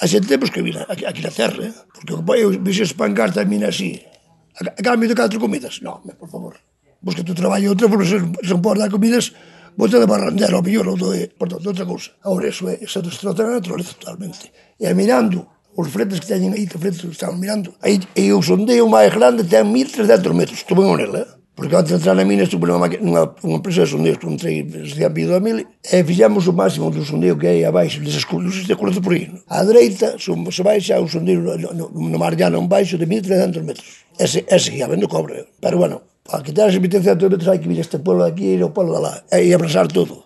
A xente temos que vir aquí na terra, porque eu vixo espancar tamén así. A cambio de 4 comidas? Non, por favor. Busca tu traballo outra, porque se non podes dar comidas, bote de barrandero, ao mellor, ou de outra cousa. Agora, eso destroza a naturaleza totalmente. E mirando, os fretes que teñen aí, os fretes que estamos mirando, aí o sondeo máis grande ten 1.300 metros, estuve en Onel, porque antes de entrar na mina estuve nunha empresa de sondeos que entrei desde a vida da mil, e fixemos o máximo do sondeo que hai abaixo, desas luces de color de por aí. A dereita, se baixa un sondeo no mar llano en baixo de 1.300 metros. Ese ia vendo cobre, pero bueno, para quitar esos 1.300 metros hai que vir a este pueblo de aquí e ao pueblo de lá, e abrasar todo.